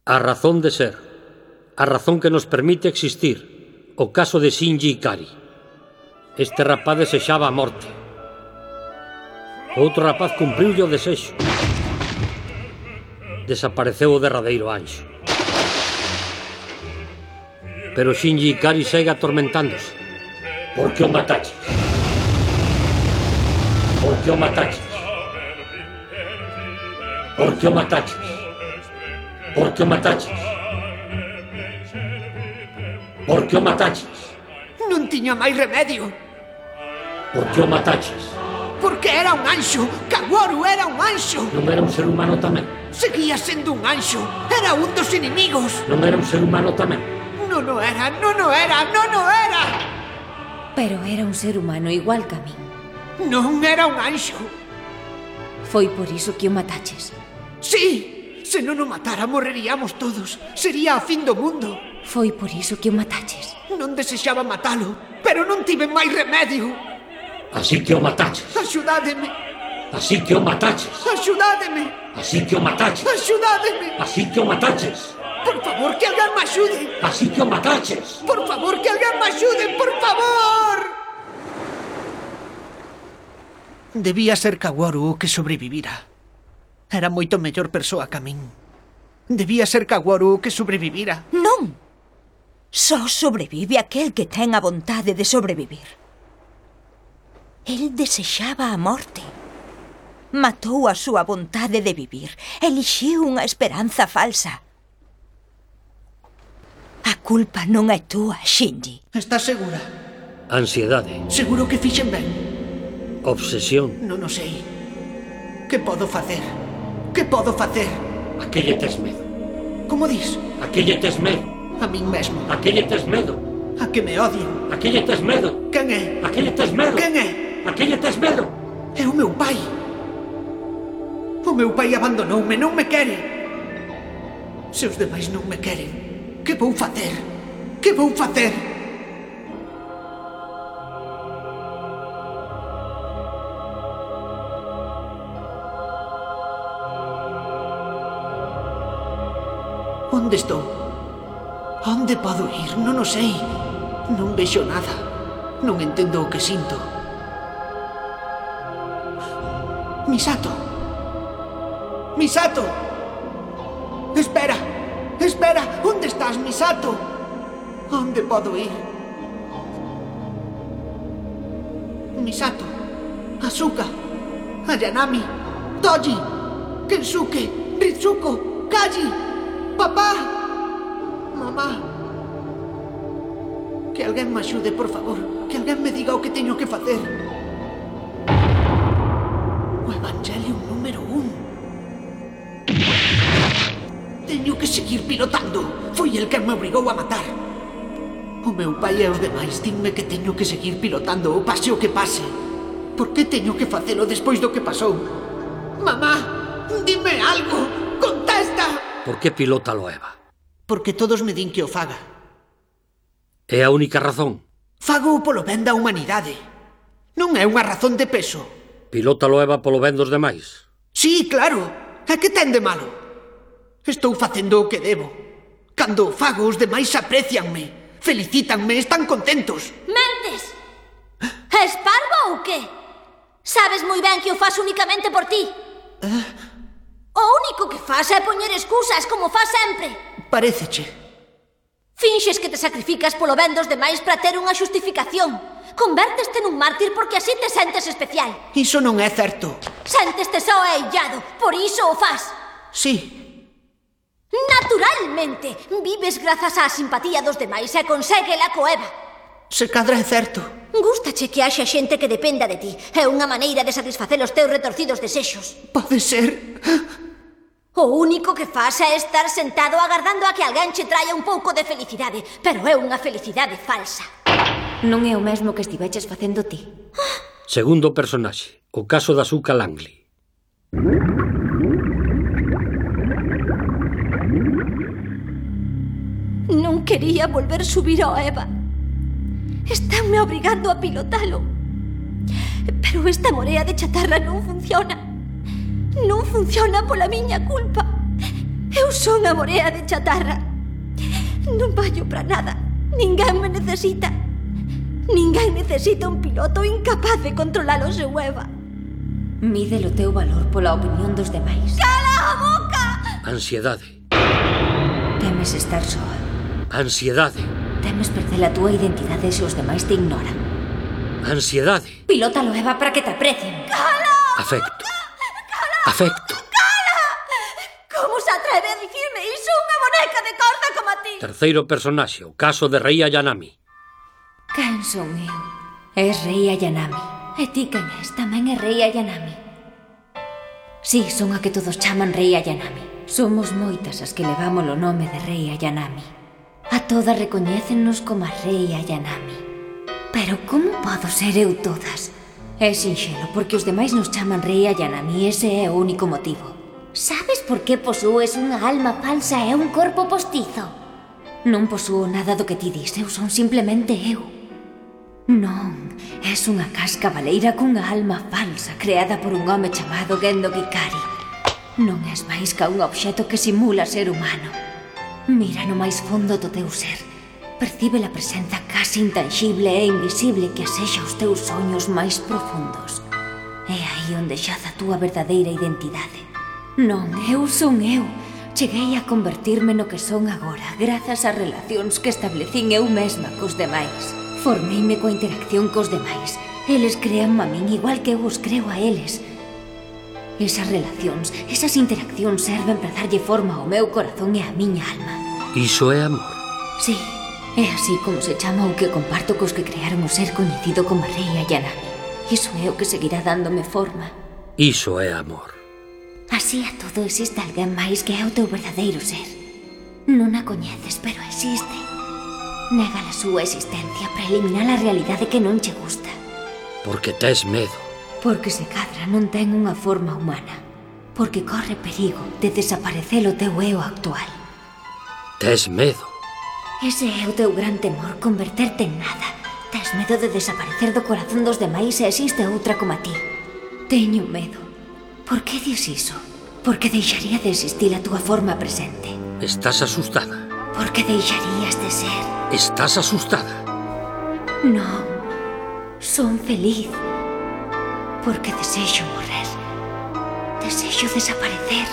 A razón de ser, a razón que nos permite existir, o caso de Shinji Ikari. Este rapaz desexaba a morte. Outro rapaz cumpriulle o desexo. Desapareceu o derradeiro anxo. Pero Shinji Ikari segue atormentándose. Por que o mataches? Por que o mataches? Por que o mataches? Por que o mataches? Por que o mataches? Non tiña máis remedio. Por que o mataches? Porque era un anxo. Kaworu era un anxo. Non era un ser humano tamén? Seguía sendo un anxo. Era un dos inimigos. Non era un ser humano tamén? Non o era, non o era, non o era. Pero era un ser humano igual que a min. Non era un anxo. Foi por iso que o mataches. Sí. Se non o matara, morreríamos todos. Sería a fin do mundo. Foi por iso que o mataches. Non desexaba matalo, pero non tive máis remedio. Así que o mataches. Axudádeme. Así que o mataches. Axudádeme. Así que o mataches. Axudádeme. Así que o mataches. Por favor, que alguén me axude. Así que o mataches. Por favor, que alguén me axude, por favor. Debía ser Kaworu o que sobrevivira. Era moito mellor persoa que a min. Debía ser Kaworu o que sobrevivira. Non. Só sobrevive aquel que ten a vontade de sobrevivir. El desexaba a morte. Matou a súa vontade de vivir. Elixiu unha esperanza falsa. A culpa non é túa, Shinji. Estás segura? Ansiedade. Seguro que fixen ben? Obsesión. Non o sei. Que podo facer? Que podo facer? A que lle tes medo? Como dis? A que lle tes medo? A min mesmo. A que lle tes medo? A que me odien. A que lle tes medo? Quen é? A que lle tes medo? Quen é? A que lle tes medo? É o meu pai. O meu pai abandonoume, non me quere. Se os demais non me queren, que vou facer? Que vou facer? Onde estou? Onde podo ir? Non o sei. Non vexo nada. Non entendo o que sinto. Misato! Misato! Espera! Espera! Onde estás, Misato? Onde podo ir? Misato! Asuka! Ayanami! Toji! Kensuke! Ritsuko! Kaji! Papá! Mamá! Que alguén me axude, por favor. Que alguén me diga o que teño que facer. O Evangelium número 1. Teño que seguir pilotando. Foi el que me obrigou a matar. O meu pai e os demais dinme que teño que seguir pilotando, o pase o que pase. Por que teño que facelo despois do que pasou? Mamá, dime algo. Contesta. Por que pilótalo, Eva? Porque todos me din que o faga. É a única razón? Fago polo ben da humanidade. Non é unha razón de peso. Pilótalo, Eva, polo ben dos demais? Sí, claro. E que ten de malo? Estou facendo o que debo. Cando o fago, os demais aprecianme, felicítanme, están contentos. Mentes! És parvo ou que? Sabes moi ben que o fas únicamente por ti. O único que fas é poñer excusas, como fas sempre. Paréceche. Finxes que te sacrificas polo ben dos demais para ter unha xustificación. Convérteste nun mártir porque así te sentes especial. Iso non é certo. Sénteste só e illado, por iso o fas. Sí. Naturalmente, vives grazas á simpatía dos demais e conséguela co Eva. Se cadra é certo. Gústache que haxa xente que dependa de ti. É unha maneira de satisfacer os teus retorcidos desexos. Pode ser. O único que fas é estar sentado agardando a que alguén che traia un pouco de felicidade. Pero é unha felicidade falsa. Non é o mesmo que estiveches facendo ti. Segundo personaxe, o caso da Asuka Langley. Non quería volver subir ao Eva. Estánme obrigando a pilotalo. Pero esta morea de chatarra non funciona. Non funciona pola miña culpa. Eu son a morea de chatarra. Non vallo para nada. Ninguén me necesita. Ninguén necesita un piloto incapaz de controlar o seu Eva. Mídelo teu valor pola opinión dos demais. Cala a boca! Ansiedade. Temes estar soa. Ansiedade. Temes perder a túa identidade se os demais te ignoran. Ansiedade. Pilótalo, Eva, para que te aprecien. Afecto. Afecto. Como se atreve a dicirme iso unha boneca de corda como a ti? Terceiro personaxe, o caso de Rei Ayanami. Quen son eu? És Rei Ayanami. E ti quen és? Tamén é Rei Ayanami. Sí, son a que todos chaman Rei Ayanami. Somos moitas as que levamos o nome de Rei Ayanami. A todas recoñécennos como a Rei Ayanami. Pero como podo ser eu todas? É sinxelo, porque os demais nos chaman Rei Ayanami. Ese é o único motivo. Sabes por que posúes unha alma falsa e un corpo postizo? Non posúo nada do que ti dis. Eu son simplemente eu. Non, és unha casca baleira cunha alma falsa creada por un home chamado Gendo Hikari. Non és máis ca un obxeto que simula ser humano. Mira no máis fondo do teu ser. Percibe a presenza casi intangible e invisible que asexa os teus soños máis profundos. É aí onde xaza a túa verdadeira identidade. Non, eu son eu. Cheguei a convertirme no que son agora grazas ás relacións que establecín eu mesma cos demais. Formeime coa interacción cos demais. Eles créanme a min igual que eu os creo a eles. Esas relacións, esas interaccións serven para darlle forma ao meu corazón e á miña alma. Iso é amor. Sí, é así como se chama o que comparto cos que crearon o ser coñecido como Rei Ayanami. Iso é o que seguirá dándome forma. Iso é amor. Así a todo existe alguén máis que é o teu verdadeiro ser. Non a coñeces, pero existe. Nega a súa existencia para eliminar a realidade que non che gusta. Porque tes medo. Porque se cadra non ten unha forma humana. Porque corre perigo de desaparecer o teu eu actual. Tes medo. Ese é o teu gran temor, converterte en nada. Tes medo de desaparecer do corazón dos demais e existe outra como a ti. Teño medo. Por que dis iso? Porque deixaría de existir a túa forma presente. Estás asustada. Porque deixarías de ser. Estás asustada. Non, son feliz. Porque desexo morrer. Desexo desaparecer.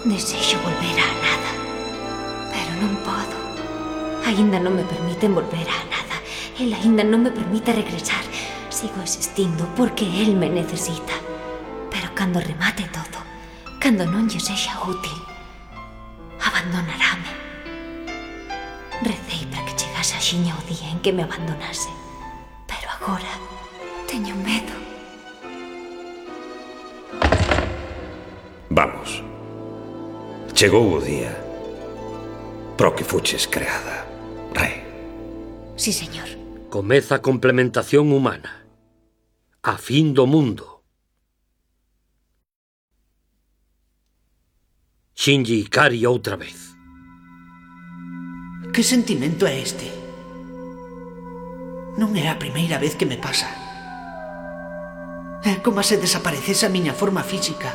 Desexo volver á nada. Pero non podo. Aínda non me permiten volver á nada. El aínda non me permite regresar. Sigo existindo porque el me necesita. Pero cando remate todo, cando non lle sexa útil, abandonarame. Recei para que chegase axiña o día en que me abandonase. Pero agora teño medo. Vamos. Chegou o día pro que fuches creada, Rei. Sí, señor. Comeza a complementación humana. A fin do mundo. Shinji Ikari outra vez. Que sentimento é este? Non é a primeira vez que me pasa. É como se desaparecese a miña forma física.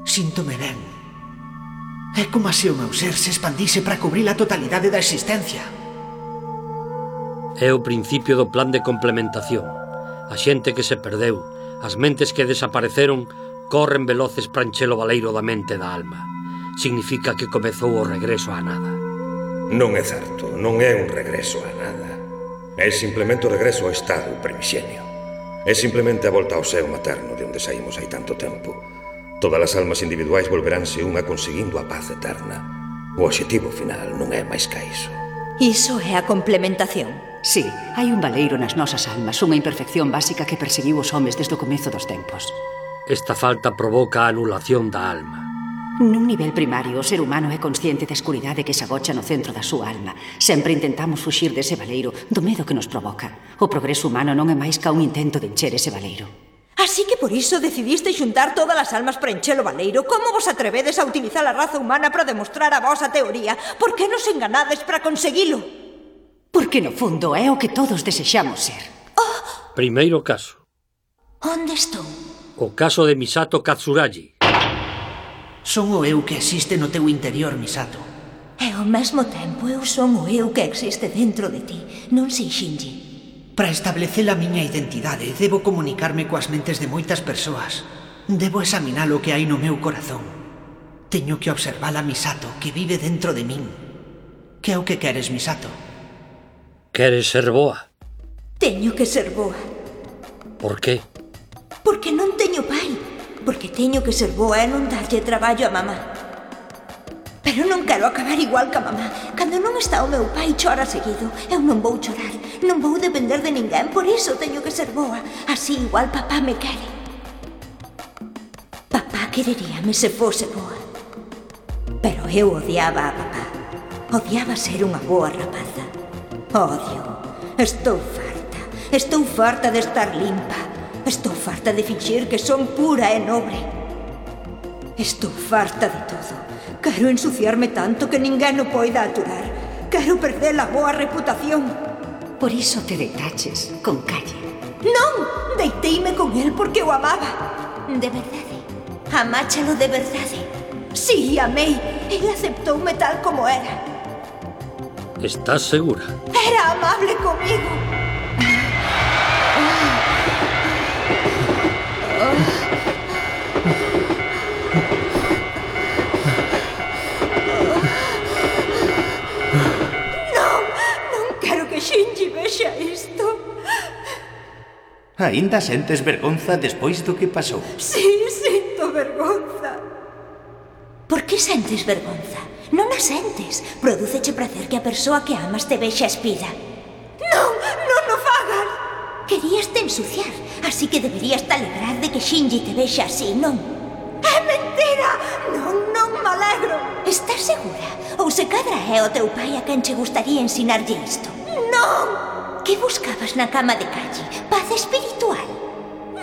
Síntome ben. É como se o meu ser se expandise para cubrir a totalidade da existencia. É o principio do plan de complementación. A xente que se perdeu, as mentes que desapareceron, corren veloces para encher o baleiro da mente e da alma. Significa que comezou o regreso á nada. Non é certo, non é un regreso a nada. É simplemente o regreso ao estado primixenio. É simplemente a volta ao seo materno de onde saímos hai tanto tempo. Todas as almas individuais volveránse unha conseguindo a paz eterna. O obxectivo final non é máis ca iso. Iso é a complementación. Sí, hai un baleiro nas nosas almas, unha imperfección básica que perseguiu os homes desde o comezo dos tempos. Esta falta provoca a anulación da alma. Nun nivel primario, o ser humano é consciente da escuridade que se agocha no centro da súa alma. Sempre intentamos fuxir dese baleiro, do medo que nos provoca. O progreso humano non é máis ca un intento de encher ese baleiro. Así que por iso decidiste xuntar todas as almas para encher o baleiro. Como vos atrevedes a utilizar a raza humana para demostrar a vosa teoría? Por que nos enganades para conseguilo? Porque no fundo é o que todos desexamos ser. Primeiro caso. Onde estou? O caso de Misato Katsuragi. Son o eu que existe no teu interior, Misato. E ao mesmo tempo eu son o eu que existe dentro de ti, non sei, Shinji. Para establecer a miña identidade, debo comunicarme coas mentes de moitas persoas. Debo examinar o que hai no meu corazón. Teño que observar a Misato, que vive dentro de min. Que é o que queres, Misato? Queres ser boa? Teño que ser boa. Por qué? Porque non teño pai. Porque teño que ser boa e non darlle traballo a mamá. Pero non quero acabar igual que a mamá. Cando non está o meu pai chora seguido. Eu non vou chorar. Non vou depender de ninguén. Por iso teño que ser boa. Así igual papá me quere. Papá quereríame se fose boa. Pero eu odiaba a papá. Odiaba ser unha boa rapaza. Odio. Estou farta. Estou farta de estar limpa. Estou farta de fingir que son pura e nobre. Estou farta de todo. Quero ensuciarme tanto que ninguén o poida aturar. Quero perder a boa reputación. Por iso te deitaches con Calle. Non! Deiteime con el porque o amaba. De verdade. Amáchalo de verdade. Sí, amei. Ele aceptoume tal como era. Estás segura? Era amable comigo. Non quero que Shinji vexa isto. Aínda sentes vergonza despois do que pasou? Sí, sinto vergonza. Por que sentes vergonza? Non a sentes. Prodúceche prazer que a persoa que amas te vexa espida. Non, non o fagas. Querías te ensuciar, así que deberías te alegrar de que Shinji te vexa así, non? É mentira! Non me alegro. Estás segura? Ou se cadra é o teu pai a quen che gustaría ensinarlle isto? Non! Que buscabas na cama de Calle? Paz espiritual?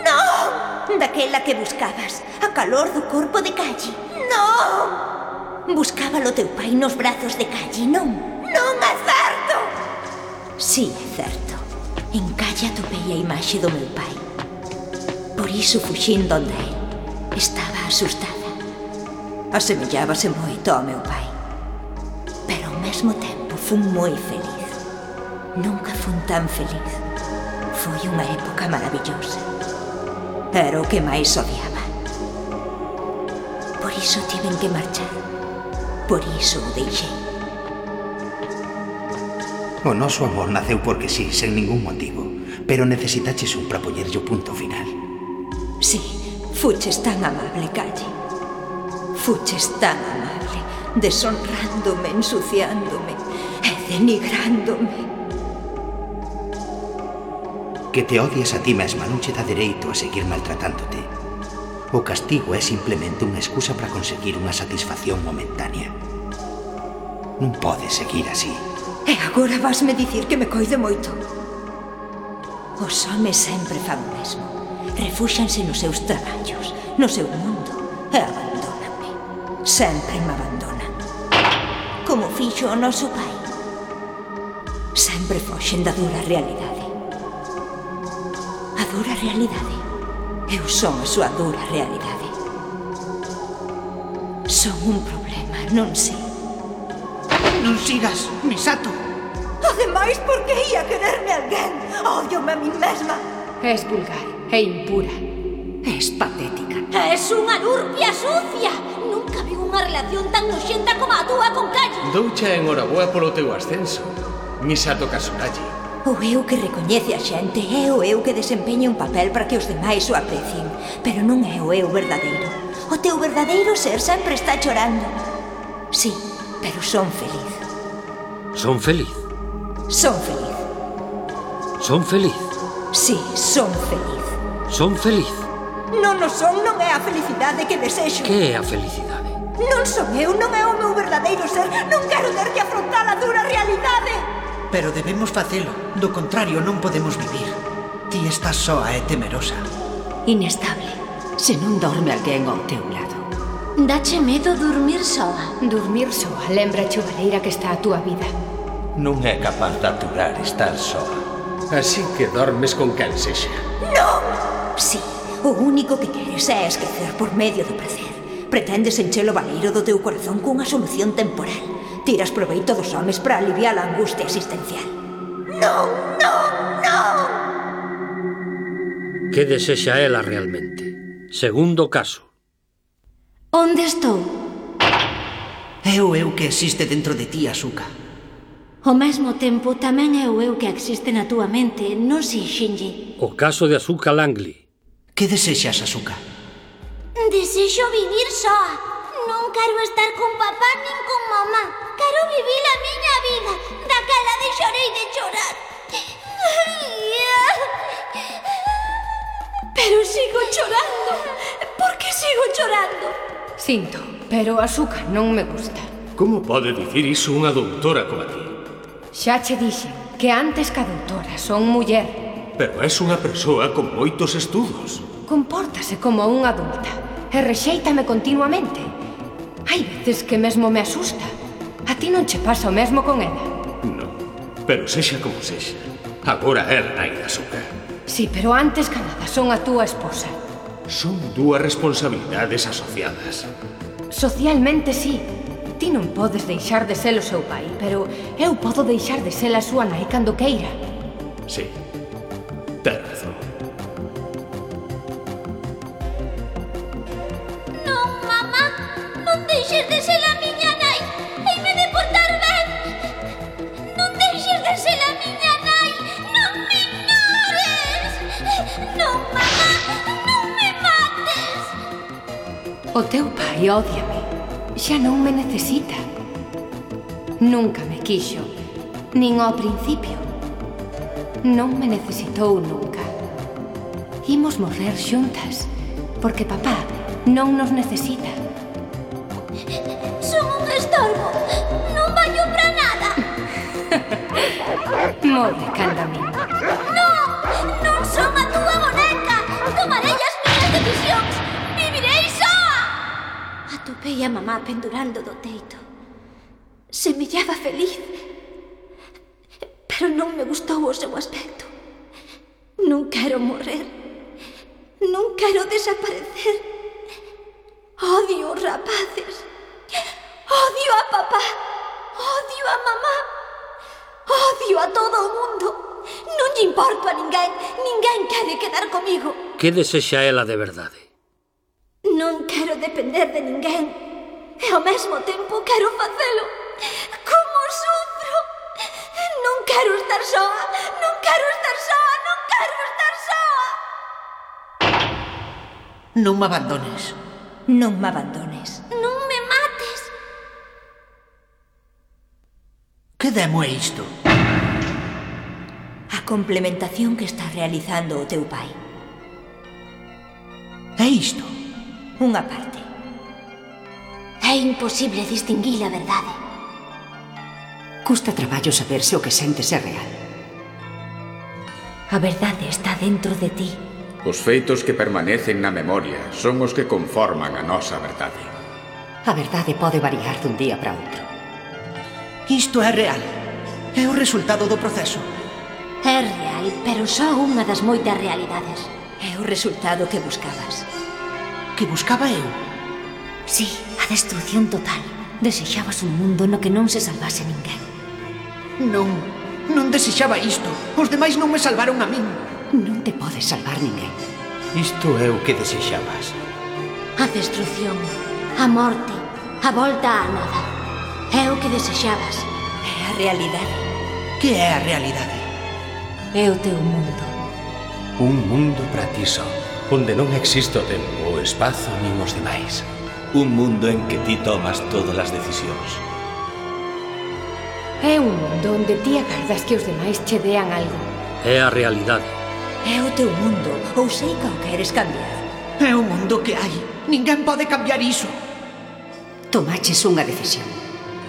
Non! Daquela que buscabas, a calor do corpo de Calle? Non! Buscábalo teu pai nos brazos de Calle, non? Non é certo! Sí, é certo. En Calle atopei a imaxe do meu pai. Por iso fuxín donde él. Estaba asustada. Asemellábase moito ao meu pai. Pero ao mesmo tempo fun moi feliz. Nunca fun tan feliz. Foi unha época maravillosa. Era o que máis odiaba. Por iso tiven que marchar. Por iso o deixei. O noso amor naceu porque sí, sen ningún motivo. Pero necesitaches un para poñerlle o punto final. Sí, fuches tan amable, Calle. Fuches tan amable, deshonrándome, ensuciándome e denigrándome. Que te odies a ti mesma non che dá dereito a seguir maltratándote. O castigo é simplemente unha excusa para conseguir unha satisfacción momentánea. Non podes seguir así. E agora vasme dicir que me coide moito. Os homes sempre fan o mesmo. Refúxanse nos seus traballos, no seu mundo, e abandóname. Sempre me abandonan. Como fixo o noso pai. Sempre foxen da dura realidade. A dura realidade. Eu son a súa dura realidade. Son un problema, non sei. Non sigas, Misato. Ademais, por que ia quererme alguén? Ódiome a min mesma. Es vulgar e impura. Es patética. Es unha nurpia sucia. Nunca vi unha relación tan noxenta como a túa con Calle. Doucha enhoraboa polo teu ascenso, Misato Kasuragi. O eu que recoñece a xente é o eu que desempeña un papel para que os demais o aprecien. Pero non é o eu verdadeiro. O teu verdadeiro ser sempre está chorando. Sí, pero son feliz. Son feliz? Son feliz. Son feliz? Sí, son feliz. Son feliz? Non o son, non é a felicidade que desexo. Que é a felicidade? Non son eu, non é o meu verdadeiro ser. Non quero ter que afrontar a dura realidade. Pero debemos facelo. Do contrario, non podemos vivir. Ti estás soa e temerosa. Inestable. Se non dorme alguén ao teu lado. Dache medo dormir soa. Dormir soa lembrache o baleira que está a túa vida. Non é capaz de aturar estar soa. Así que dormes con quen sexa. Non! Sí, o único que queres é esquecer por medio do prazer. Pretendes encher o baleiro do teu corazón cunha solución temporal. Tiras proveito dos homes para aliviar a angustia existencial. Non, non, non! Que desexa ela realmente? Segundo caso. Onde estou? É o eu que existe dentro de ti, Asuka. Ao mesmo tempo, tamén é o eu que existe na túa mente, non si, Shinji? O caso de Asuka Langley. Que desexas, Asuka? Desexo vivir soa. Non quero estar con papá nin con mamá. Quero vivir a miña vida. Daquela deixarei de chorar. Pero sigo chorando. Por que sigo chorando? Sinto, pero Asuka non me gusta. Como pode dicir iso unha doutora como a ti? Xa che dixen que antes que a doutora son muller. Pero és unha persoa con moitos estudos. Compórtase como unha adulta e rexéitame continuamente. Hai veces que mesmo me asusta. A ti non che pasa o mesmo con ela? Non, pero sexa como sexa. Agora é a nai da Asuka. Sí, pero antes que nada son a túa esposa. Son dúas responsabilidades asociadas. Socialmente sí. Ti non podes deixar de ser o seu pai, pero eu podo deixar de ser a súa nai cando queira. Sí, ten razón. Non, mamá, non deixes de ser a miña nai. Heime de portar ben. Non deixes de ser a miña nai. Non me ignores. Non, mamá, non me mates. O teu pai ódiame. Xa non me necesita. Nunca me quixo, nin ao principio. Non me necesitou nunca. Imos morrer xuntas, porque papá non nos necesita. Son un estorbo. Non vallo para nada. Morre, canda min. Non, non son a túa boneca. Tomarei as miñas decisións. Vivirei soa. Atopei a mamá pendurando do teito. Semellaba feliz. Pero non me gustou o seu aspecto. Non quero morrer. Non quero desaparecer. Odio os rapaces. Odio a papá. Odio a mamá. Odio a todo o mundo. Non lle importo a ninguén. Ninguén quere quedar comigo. Que desexa ela de verdade? Non quero depender de ninguén. E ao mesmo tempo quero facelo. Como sufro. Non quero estar soa. Non quero estar soa. Non quero estar soa. Non me abandones. Non me abandones. Non me mates. Que demo é isto? A complementación que está realizando o teu pai. É isto? Unha parte. É imposible distinguir a verdade. Custa traballo saber se o que sentes é real. A verdade está dentro de ti. Os feitos que permanecen na memoria son os que conforman a nosa verdade. A verdade pode variar dun día para outro. Isto é real. É o resultado do proceso. É real, pero só unha das moitas realidades. É o resultado que buscabas. Que buscaba eu? Sí, a destrucción total. Desexabas un mundo no que non se salvase ninguén. Non desexaba isto. Os demais non me salvaron a min. Non te podes salvar ninguén. Isto é o que desexabas. A destrucción, a morte, a volta á nada. É o que desexabas. É a realidade. Que é a realidade? É o teu mundo. Un mundo para ti só, onde non existe o tempo, o espazo nin os demais. Un mundo en que ti tomas todas as decisións. É un mundo onde ti agardas que os demais che dean algo. É a realidade. É o teu mundo, ou sei que o queres cambiar. É o mundo que hai. Ninguén pode cambiar iso. Tomaches unha decisión.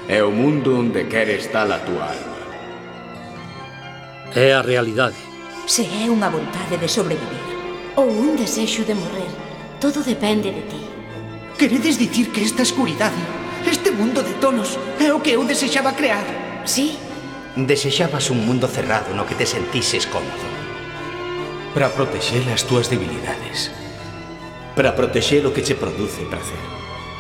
É o mundo onde quere estar a túa alma. É a realidade. Se é unha vontade de sobrevivir ou un desexo de morrer, todo depende de ti. Queredes dicir que esta escuridade, este mundo de tonos, é o que eu desexaba crear? Sí. Desexabas un mundo cerrado no que te sentises cómodo. Para protexer as túas debilidades. Para protexer o que che produce prazer.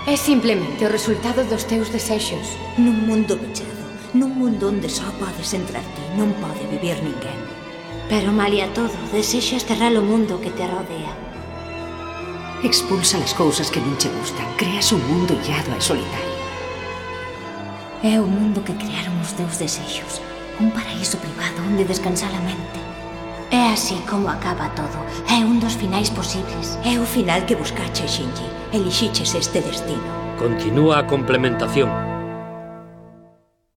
É simplemente o resultado dos teus desexos. Nun mundo pechado, nun mundo onde só podes entrar ti, non pode vivir ninguén. Pero malia todo, desexas cerrar o mundo que te rodea. Expulsa as cousas que non che gustan. Creas un mundo illado e solitario. É o mundo que crearon os teus desexos. Un paraíso privado onde descansar a mente. É así como acaba todo. É un dos finais posibles. É o final que buscaches, Shinji. Elixiches este destino. Continúa a complementación.